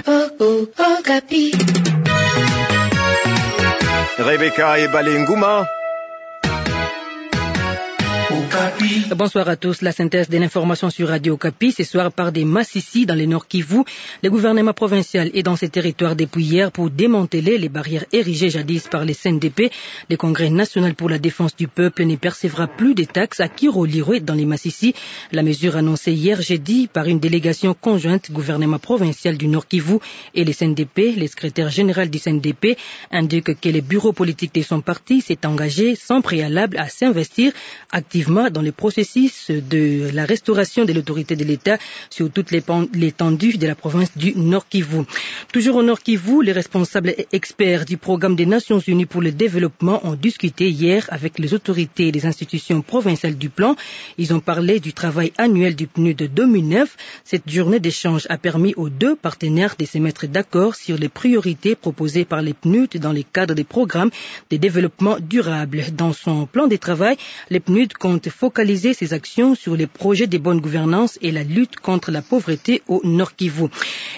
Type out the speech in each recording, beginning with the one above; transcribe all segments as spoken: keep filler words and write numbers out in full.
Okapi. Rebecca Ebale Nguma. Okapi. Bonsoir à tous. La synthèse de l'information sur Radio Okapi. Ce soir, par des massissi dans le Nord-Kivu. Le gouvernement provincial est dans ces territoires depuis hier pour démanteler les barrières érigées jadis par les C N D P. Le Congrès national pour la défense du peuple ne percevra plus de taxes à Kiro-Lirwe dans les massissi. La mesure annoncée hier jeudi par une délégation conjointe gouvernement provincial du Nord-Kivu et le C N D P, le secrétaire général du C N D P indique que le bureau politique de son parti s'est engagé sans préalable à s'investir activement dans le processus de la restauration de l'autorité de l'État sur toute l'épan-, l'étendue de la province du Nord-Kivu. Toujours au Nord-Kivu, les responsables et experts du programme des Nations Unies pour le développement ont discuté hier avec les autorités et les institutions provinciales du plan. Ils ont parlé du travail annuel du PNUD deux mille neuf. Cette journée d'échange a permis aux deux partenaires de se mettre d'accord sur les priorités proposées par le PNUD dans le cadre des programmes de développement durable. Dans son plan de travail, le PNUD compte focaliser ses actions sur les projets de bonne gouvernance et la lutte contre la pauvreté au Nord-Kivu.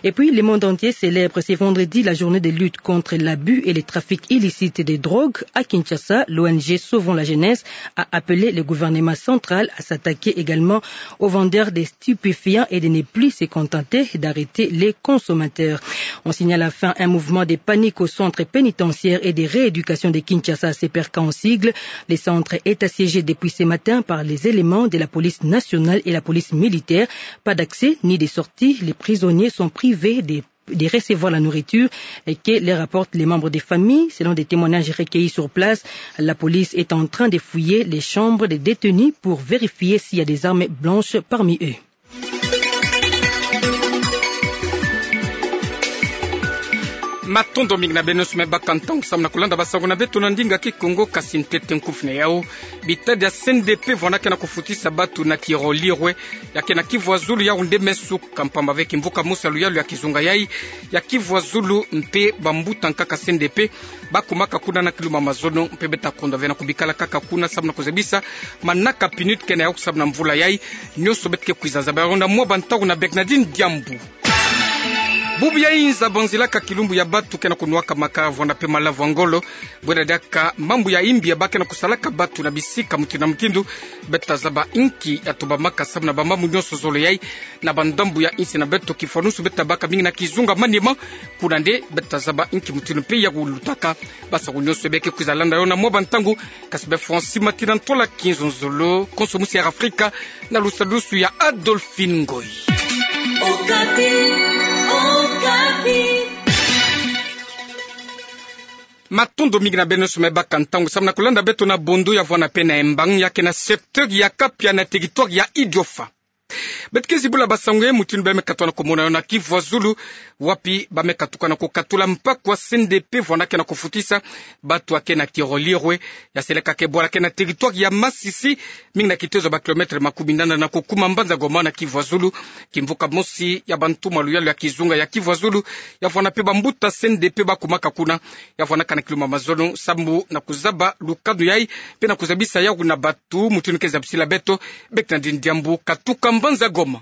Et puis, le monde entier célèbre ce vendredi la journée de lutte contre l'abus et les trafics illicites de drogue. À Kinshasa, l'O N G Sauvons la Jeunesse a appelé le gouvernement central à s'attaquer également aux vendeurs de stupéfiants et de ne plus se contenter d'arrêter les consommateurs. On signale enfin un mouvement de panique au centre pénitentiaire et de rééducation de Kinshasa, C P R K en sigle. Le centre est assiégé depuis ce matin par les éléments de la police nationale et la police militaire. Pas d'accès ni de sortie. Les prisonniers sont privés de, de recevoir la nourriture et que les rapportent les membres des familles. Selon des témoignages recueillis sur place, la police est en train de fouiller les chambres des détenus pour vérifier s'il y a des armes blanches parmi eux. Matondo mingi na beno nyonso me baka ntangu samu na kulanda basango na beto na ndinga Kikongo, kasi ntete nkufi na yau. Bitadi ya C N D P vwanda ke na kufutisa batu na Kiro-Lirwe, ya ke na Kivu ya Zulu, yau nde me suka mpamba ve kimvuka mosi ya luyalu ya kizunga yai ya Kivu ya Zulu mpe bambuta nkaka C N D P bakumaka kuna na kiluma mazono, mpe beta kondwa ve na kubikala kaka kuna samu na kuzabisa manaka PNUD ke na yau samu na mvula yai. Nyonso beta ke kwiza zaba yawu na mwa bantangu na Bernardine Diambu. Bubu ya inza banzilaka kilumbu ya batu ke na kunwaka makaya vwanda mpe malavu ya ngolo. Bwela diaka mambu ya imbi ya ba ke na kusalaka batu na bisika mutindu na mutindu. Beta zaba inki ya tumbamaka samu na bamambu nyonso zole yai na bandambu ya insi na beto, kifwanusu beta baka mingi na kizunga Maniema. Kuna nde beta zaba inki mutindu mpe ya kulutaka. Basango nyonso beke kwiza landa yo na mwa bantangu, kasi be Francis Matina Ntola Kinzonzolo, konso mosi ya Afrika, na lusadusu ya Adolphine Ngoyi. Okapi, Okapi. Matondo mingi na beno nyonso me baka ntangu samu na kulanda beto na Bondo ya vwanda mpe na Embang, ya ke na secteur ya Kapia na territoire ya Idiofa. Beta ke zibula basango ye mutindu bameka twa na kumona yo na Kivu ya Zulu, wapi bameka tuka na kukatula mpaku ya C N D P vwanda ke na kufutisa batu ya ke na Kiro-Lirwe, ya seleka ke bwala ke na territoire ya Masisi, mingi na kitezo ba kilomètre makumi nana na kukuma mbanza Goma na Kivu ya Zulu. Kimvuka mosi ya bantumwa luyalu ya kizunga ya Kivu ya Zulu, ya vwanda mpe bambuta C N D P bakumaka kuna, ya vwandaka na kiluma mazono samu na kuzaba lukanu yai, mpe na kuzabisa yawu na batu mutindu ke zabisila beto Bernardine Diambu katuka mbanza Goma.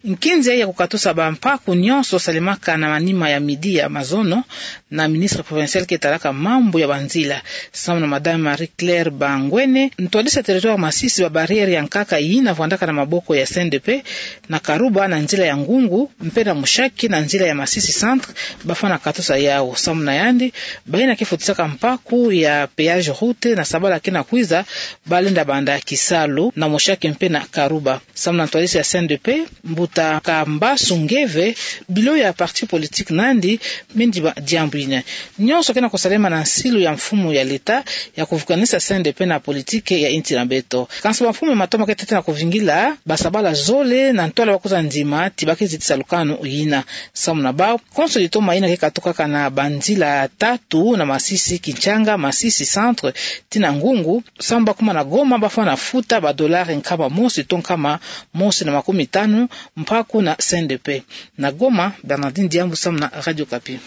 Nkinzi ya kukatusa bampaku nyonso salemaka na manima ya midi ya mazono na ministre provincial ke talaka mambu ya banzila, samu na Madame Marie-Claire Bangwene, ntwadisi ya territoire Masisi, ba barrière ya nkaka yina vwandaka na maboko ya C N D P na Karuba na nzila ya Ngungu, mpe na Mushaki na nzila ya Masisi Centre, bafwana katusa yawu. Samu na yandi, bayina ke futisaka mpaku ya péage route na sabala ke na kwiza, balenda banda kisalu na Mushaki mpe na Karuba. Samu na ntwadisi ya C N D P, mbuta Kambasu Ngeve, bilo ya parti politique na yandi me ndiba diambu yina. Nyonso ke na kusalema na nsilu ya mfumu ya leta ya kuvukanisa C N D P na politique ya insi na beto. Kansi bamfumu ya matomo ke tete na kuvingila basabala zole na ntwala bakwiza ndima ti ba ke zitisa lukanu yina. Samu na bawu, konso litoma yina ke katukaka na banzila tatu na Masisi, Kinshanga, Masisi Centre, tii na Ngungu, samu bakuma na Goma, bafwana futa ba dollars nkama mosi to nkama mosi na makumi tanu mpaku na C N D P. Na Goma, Bernardine Diambu samu na Radio Okapi.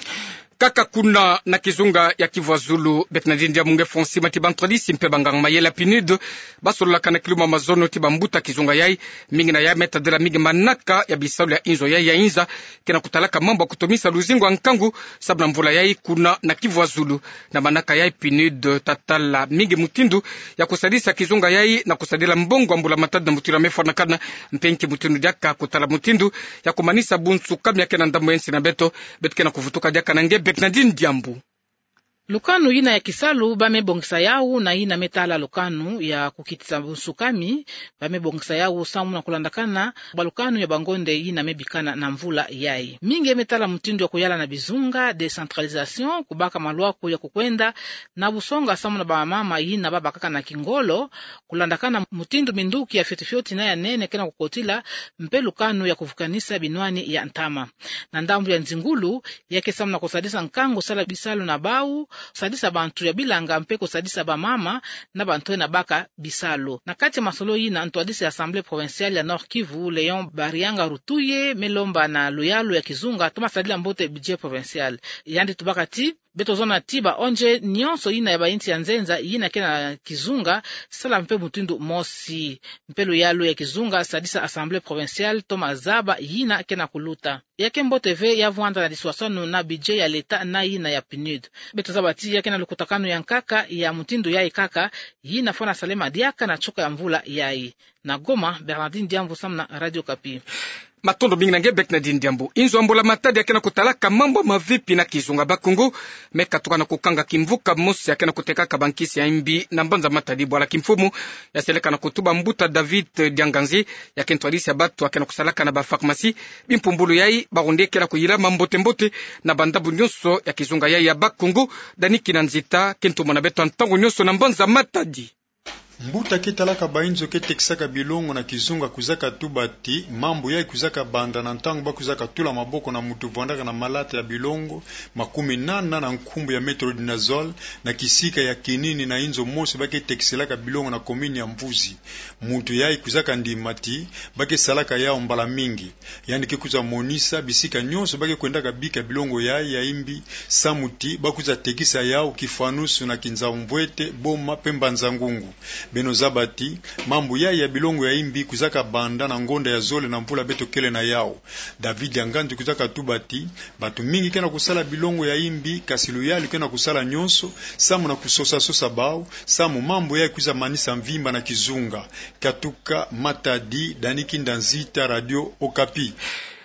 Kaka kuna na kizunga ya Kivu ya Zulu, beto na dini diambu nge fonsi mati bantwadisi mpe banganga-mayela PNUD basololaka na kiluma mazono ti bambuta kizunga yai. Mingi na yai me tadila mingi manaka ya bisalu ya inzo yai ya inza ke na kutalaka mambu ya kutomisa luzingu ya nkangu sababu na mvula yai kuna na Kivu ya Zulu. Na manaka yai PNUD tatala mingi mutindu ya kusadisa kizunga yai na kusadila mbongo ya mbula-matadi na mutindu ya me fwanakana, mpe nki mutindu diaka kutala mutindu ya kumanisa bunsukami ya ke na ndambu ya nsi na beto. Beto ke na kuvutuka diaka na nge Bernardine Diambu. Lukanu yina ya kisalu ba me bongisa yau na yina me tala lukanu ya kukitisa bunsukami, ba me bongisa yau samu na kulandakana bwa lukanu ya bangonde yina me bikana na mvula yai. Mingi me tala mutindu ya kuyala na bizunga, décentralisation, kubaka maluaku ya kukwenda na busonga samu na bamama yina babakaka na kingolo, kulandakana mutindu minduki ya fioti-fioti na ya nene ke na kukotila, mpe lukanu ya kuvukanisa binwani ya ntama. Na ndambu ya nzingulu, ya ke samu na kusadisa nkangu sala bisalu na bau, kusadisa bantu ya bilanga mpe kusadisa bamama na bantu na baka bisalu. Na kati ya masolo yina, ntwadisi ya Assemblée provinciale ya Nord-Kivu, Léon Barianga Rutuye, me lomba na luyalu ya kizunga toma sadila mbote budget provincial. Yandi tubaka ti, beto zona ti ba ONG nyonso yina ya bainsi ya nzenza yina ke na kizunga, sala mpe mutindu mosi. Mpe luyalu ya kizunga sadisa Assemblée provinciale toma zaba yina ke na kuluta. Ya ke mbote ve ya vwanda na liswaswanu na budget ya leta na yina ya PNUD. Beto zaba ti ya ke na lukutakanu ya nkaka ya mutindu yai kaka, yina fwana salema diaka na choka ya mvula yai. Na Goma, Bernardine Diambu samu na Radio Okapi. Matondo mingi na nge Bernardine Diambu. Inzo ya mbula-matadi ya ke na kutalaka mambu ya mavipi na kizunga Bakongo me katuka na kukanga kimvuka mosi ya ke na kutekaka bankisi ya imbi na mbanza Matadi, bwala kimfumu ya seleka na kutuba mbuta David Dianganzi, ya ke ntwadisi ya batu ya ke na kusalaka na bapharmacie. Bimpumbulu yai, bawu nde ke na kuyilama mbote-mbote na bandambu nyonso ya kizunga yai ya Bakongo. Dani Kinanzita ke ntumwa na beto ntangu nyonso na mbanza Matadi. Mbuta ke talaka bainzo ke tekisaka bilongo na kizunga kwiza katuba ti mambu yai kwiza kabanda na ntangu ba kwiza katula maboko na muntu vwandaka na malata ya bilongo makuminana na nkumbu ya metronidazole na kisika ya kinini na inzo mosi ba ke tekiselaka bilongo na commune ya Mvuzi. Muntu yai kwiza kandima ti ba ke salaka yau mbala mingi. Yandi ke kwiza monisa bisika nyonso ba ke kwendaka bika bilongo yai ya imbi, samu ti ba kwiza tekisa yau Kifwanusu na Kinzau-Mvuete, Boma mpe Mbanza-Ngungu. Beno zaba ti mambu yai ya bilongo ya imbi kwiza kabanda na ngonda ya zole na mvula beto kele na yau. David Dianganzi kwiza katuba ti batu mingi ke na kusala bilongo ya imbi, kasi luyalu ke na kusala nyonso samu na kusosa-sosa bau, samu mambu yai kwiza manisa mvimba na kizunga. Katuka Matadi, Dani Kinanzita, Radio Okapi.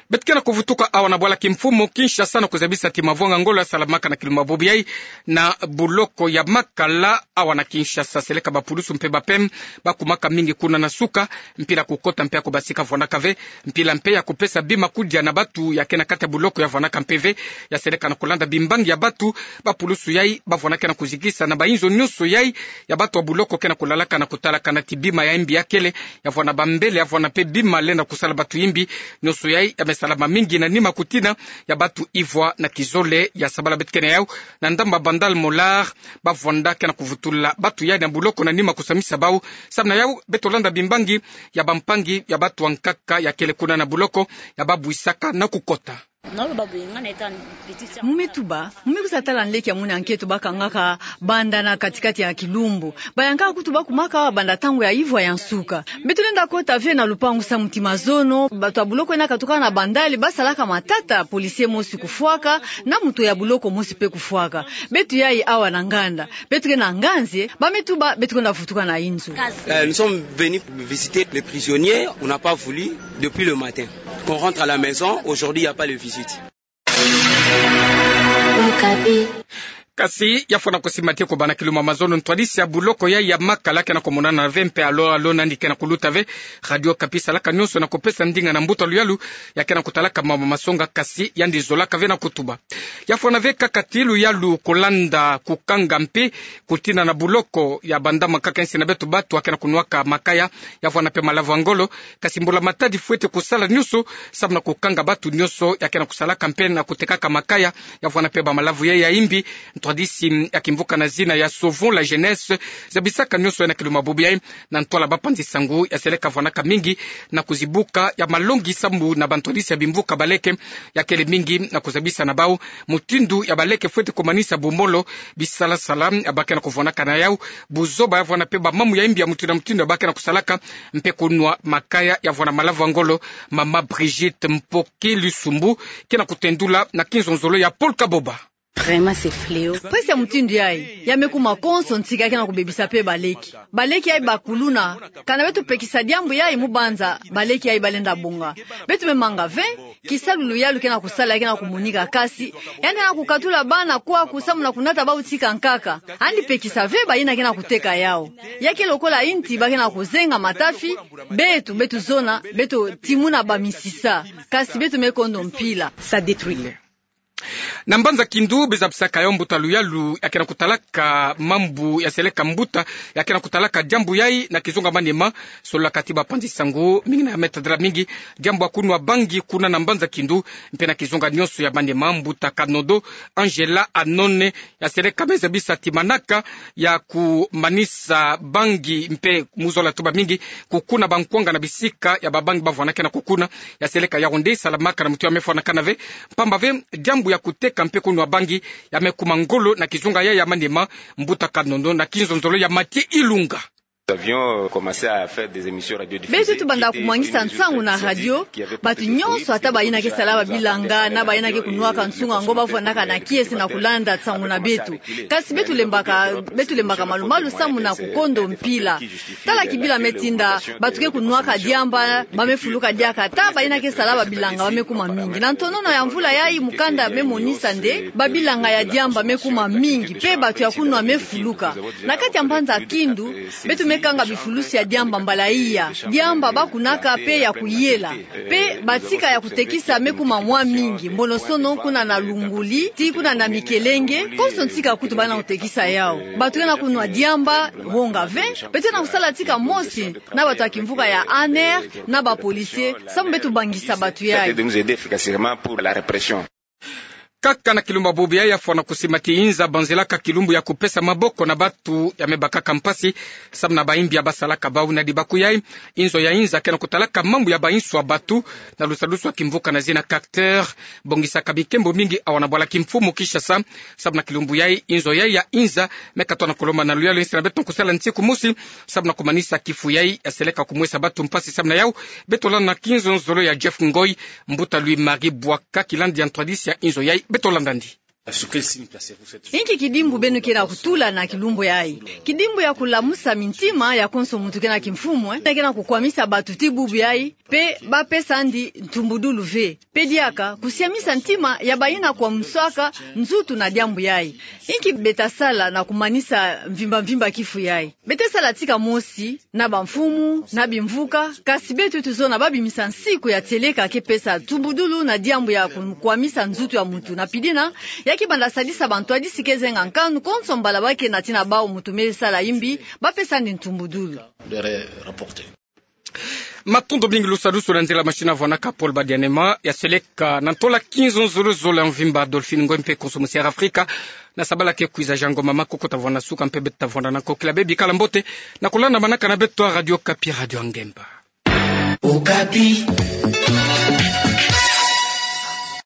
Beto ke na kuvutuka awa na bwala kimfumu Kinshasa na kuzabisa ti mavwanga ngolo ya salamaka na kilumbu bubu yai na buloko ya Makala awa na Kinshasa. Seleka bapulusu mpe ba P M ba kumaka mingi kuna na suka, mpila kukota mpe ya kubasika vwandaka ve. Mpila mpe ya kupesa bima kudia na batu ya ke na kati ya buloko ya vwandaka mpe ve. Ya seleka na kulanda bimbangi ya batu, bapulusu yai ba vwandaka na kuzikisa na bainzo nyonso yai ya batu ya buloko ke na kulalaka na kutalaka na ti bima ya imbi ya kele, ya vwanda bambele, ya vwanda mpe bima lenda kusala batu imbi. Nyonso yai ya me salama mingi na nima kutina ya batu ivwa na kizole ya sabala. Beto ke na yau na ndamba Bandal Molar, ba vwanda ke na kuvutula batu yai na buloko na nima kusamisa bau. Samu na yau beto landa bimbangi ya bampangi ya batu ya nkaka ya kele kuna na buloko, ya babwisaka na kukota. Mu me tuba, mu me kwiza tala nleke ya muna nketo ba kangaka banda na kati-kati ya kilumbu. Bayankaka kutu ba kumaka awa banda ntangu ya ivwa ya nsuka. Beto lenda kota ve na lupangu samu ti mazono, batu ya buloko yina katukaka na Bandal ba salaka matata, policier mosi kufwaka, na muntu ya buloko mosi mpe kufwaka. Beto yai awa na nganda. Beto ke na nganzi, ba me tuba, beto kwenda vutuka na inzo. Euh, nous sommes venus visiter les prisonniers. On n'a pas voulu depuis le matin. Qu'on rentre à la maison, aujourd'hui, il n'y a pas de visite. Kasi ya fwana kusimba ti ko bana kiluma mazono, ntwadisi ya buloko yai ya Makala ke na kumonana ve mpe alo alo nandi ke na kuluta ve. Radio Okapi salaka nyonso na kupesa ndinga na mbuta luyalu ya ke na kutalaka mama masonga, kasi yandi zolaka ve na kutuba. Ya fwana ve kaka ti luyalu kulanda kukanga mpi kutina na buloko ya banda makaka nsi na beto, batu ya ke na kunwaka makaya, ya fwana mpe malavu ya ngolo. Kasi mbula matadi fwete kusala nyonso samu na kukanga batu nyonso ya ke na kusalaka mpe na kutekaka makaya, ya fwana mpe bamalavu yai ya imbi. Ntwadisi ya kimvuka na zina ya Sauvons la Jeunesse zabisaka nyonso yai na kiluma bubu yai na ntwala bapanzi sangu ya seleka fwanaka mingi na kuzibuka ya malongi sambu na bantwadisi ya bimvuka baleke ya kele mingi na kuzabisa na bau Mutindu ya baleke fwete kumanisa bumolo, bisala-sala ya bake na kuvwanaka na yau, buzoba ya vwana mpe bamamu ya imbi ya mutindu na mutindu ya bake na kusalaka, mpe kunwa makaya ya vwana malavu ya ngolo. Mama Brigitte Mpoki Lusumbu ke na kutendula na kinzonzolo ya Paul Kaboba. Vraiment, c'est fléau. Mpasi ya mutindu yayi ya me kuma konso ntika ya ke na kubebisa mpe baleke. Baleke yayi bakuluna, kana beto pekisa diambu yayi mu banza baleke yayi balenda bonga. Beto me manga ve, kisalu luyalu ke na kusala ya ke na kumonika, kasi yandi ke na kukatula bana kwaku samu na kunata bau tika nkaka. Yandi pekisa ve bayina ke na kuteka yau. Ya ke lokola inti ba ke na kuzenga matafi, beto, beto zona, beto timuna bamisisa. Kasi beto me kondo mpila. Ça détruit. Na mbanza Kindu, bezabisaka yo mbuta luyalu ya ke na kutalaka mambu ya seleka mbuta ya ke na kutalaka diambu yayi na kizunga manima. Solola kati bapanzi sango mingi na ya me tadila mingi diambu ya kunwa bangi kuna na mbanza Kindu, mpe na kizunga nionso ya manima, mbuta Kanodo Angela Anone ya seleka me zabisa ti manaka ya kumanisa bangi mpe mu zola tuba mingi kukuna bankwanga na bisika ya babangi bavwanaka na kukuna. Ya seleka Yaoundé salamaka na mutu ya me fwanakana ve, mpamba ve diambu ya kuteka mpe kunwa bangi ya me kuma ngolo na kizunga yayi ya manima. Mbuta Kanodo na kinzonzolo ya Mathieu Ilunga. Beto tubanda kumwangisa nsangu na radio, batu nionso, ata bayina ke sala babilanga na bayina ke kunwaka nsunga ngo, bavwanaka na kiese na kulanda nsangu na beto. Kasi beto lembaka, beto lembaka malu-malu samu na kukondo mpila. Tala kibila me tinda, batu ke kunwaka diamba ba me fuluka diaka, ata bayina ke sala babilanga ba me kuma mingi. Na ntonono ya mvula yayi, mukanda me monisa nde babilanga ya diamba me kuma mingi, mpe batu ya kunwa me fuluka. Na kati ya mbanza Kindu, beto me kanga bifulusi ya diamba mbala iya. Diamba ba kunaka mpe ya kuyela. Mpe batika ya kutekisa me kuma mwa mingi. Mbonosono kuna na Lunguli, tii kuna na Mikelenge, konso ntika kutu bana kutekisa yau. Batu ke na kunwa diamba, wonga ve, beto ke na kusala tika mosi na batu ya kimvuka ya ANR, na ba policiers, samu beto bangisa batu yayi. Kaka na kilumbu ya bubu yayi, ya fwana kusima ti inza banzelaka kilumbu ya kupesa maboko na batu ya me bakaka mpasi samu na bayimbi ya basalaka bau. Na dibaku yayi, inzo ya inza ke na kutalaka mambu ya bainso ya batu na lusadusu ya kimvuka na zina Cacteur, bongisaka bikembo mingi awa na bwala kimfumu Kinshasa. Samu na kilumbu yayi, inzo yayi ya inza me katoa na kulomba na luyalu insi na beto kusala ntiku mosi samu na kumanisa kifu yayi ya seleka kumwesa batu mpasi. Samu na yau, beto landa na kinzonzolo ya Jeff Ngoy, mbuta Louis Marie Bouaka, kilandi ya ntwadisi ya inzo yayi. Beto landa ndi. Inki kidimbu beno ke na kutula na kilumbu yayi? Kidimbu ya kulamusa mintima ya konso muntu ke na kimfumu, eh, na ke na kukwamisa batu ti bubu yayi, mpe ba pesa ndi ntumbudulu ve. Mpe diaka kusiamisa ntima ya bayina kwamusaka nzutu na diambu yayi. Inki beta sala na kumanisa mvimba-mvimba kifu yayi? Bete sala tika mosi na bamfumu, na bimvuka, kasi beto tuzona babimisa nsiku ya tieleka ke pesa ntumbudulu na diambu ya kukwamisa nzutu ya muntu. Na pidina, ya ke banda sadisa bantwadisi ke zenga nkanu konso mbala ba ke na tina bau muntu me sala imbi, ba pesa ndi ntumbudulu. Matondo mingi. Lusadusu na nzila machine avwanaka Paul Badianema, ya seleka na ntola kinzonzolo zola mvimba Adolphine Ngoy mpe konso musi Air Afrika. Na sabala ke kwiza, Jean Ngoma Makoko ta vwanda na suka mpe beto ta vwanda na nkokila. Bebikala mbote na kulanda manaka na beto ya Radio Okapi, Radio ya Ngemba. Okapi.